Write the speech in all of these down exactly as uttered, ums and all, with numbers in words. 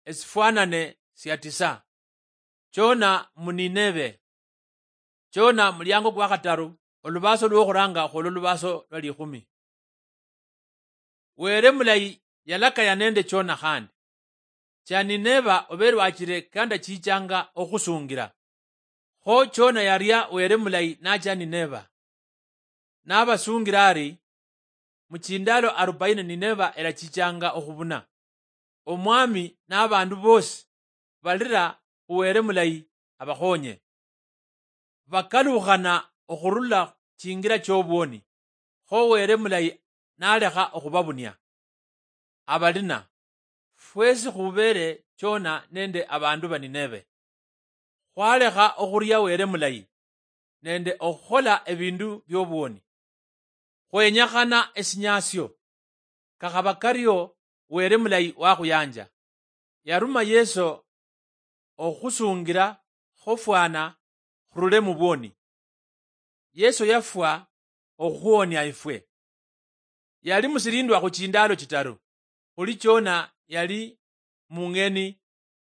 Esifwanane sia tisa. Chona mu Nineve. Chona muliango kwa khataru, olubaaso lwokhuranga khwolwo lubaaso lwa likhumi. Were mulayi yalakaya nende Chona khandi, cha Nineva obe lwachire kandachichanga okhusungira. Kho Chona yaria Were mulayi nacha Nineva. Nabasungira ari, muchindalo arubaini Nineva erachichanga okhubuna. Omwami nabandu bosi balira khu Were mulayi abakhonye. Bakalukhana okhurula chingira chobwoni, kho Were mulayi nalekha okhubabunia. Abalina, fwesi khubere Chona nende abandu ba Nineve. Khwalekha okhuria Were mulayi nende okhukhola ebindu biobwoni. Khwenyakhana esinyasio. Kakhaba kario, Were mulayi wakhuyanja. Yaruma Yeso okhusungira khofwana khurule mubwoni. Yeso yafwa okhukhuonia ifwe. Yali musirindwa khu chindalo chitaru, khuli Chona yali mung'eni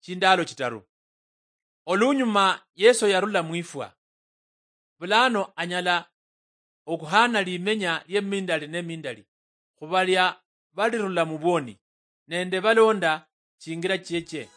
chindalo chitaru. Olunyuma Yeso yarula mwifwa. Bulano anyala okhuhana limenya liemindali nemindali khubalia balirula mubwoni nende balonda chingira chieche.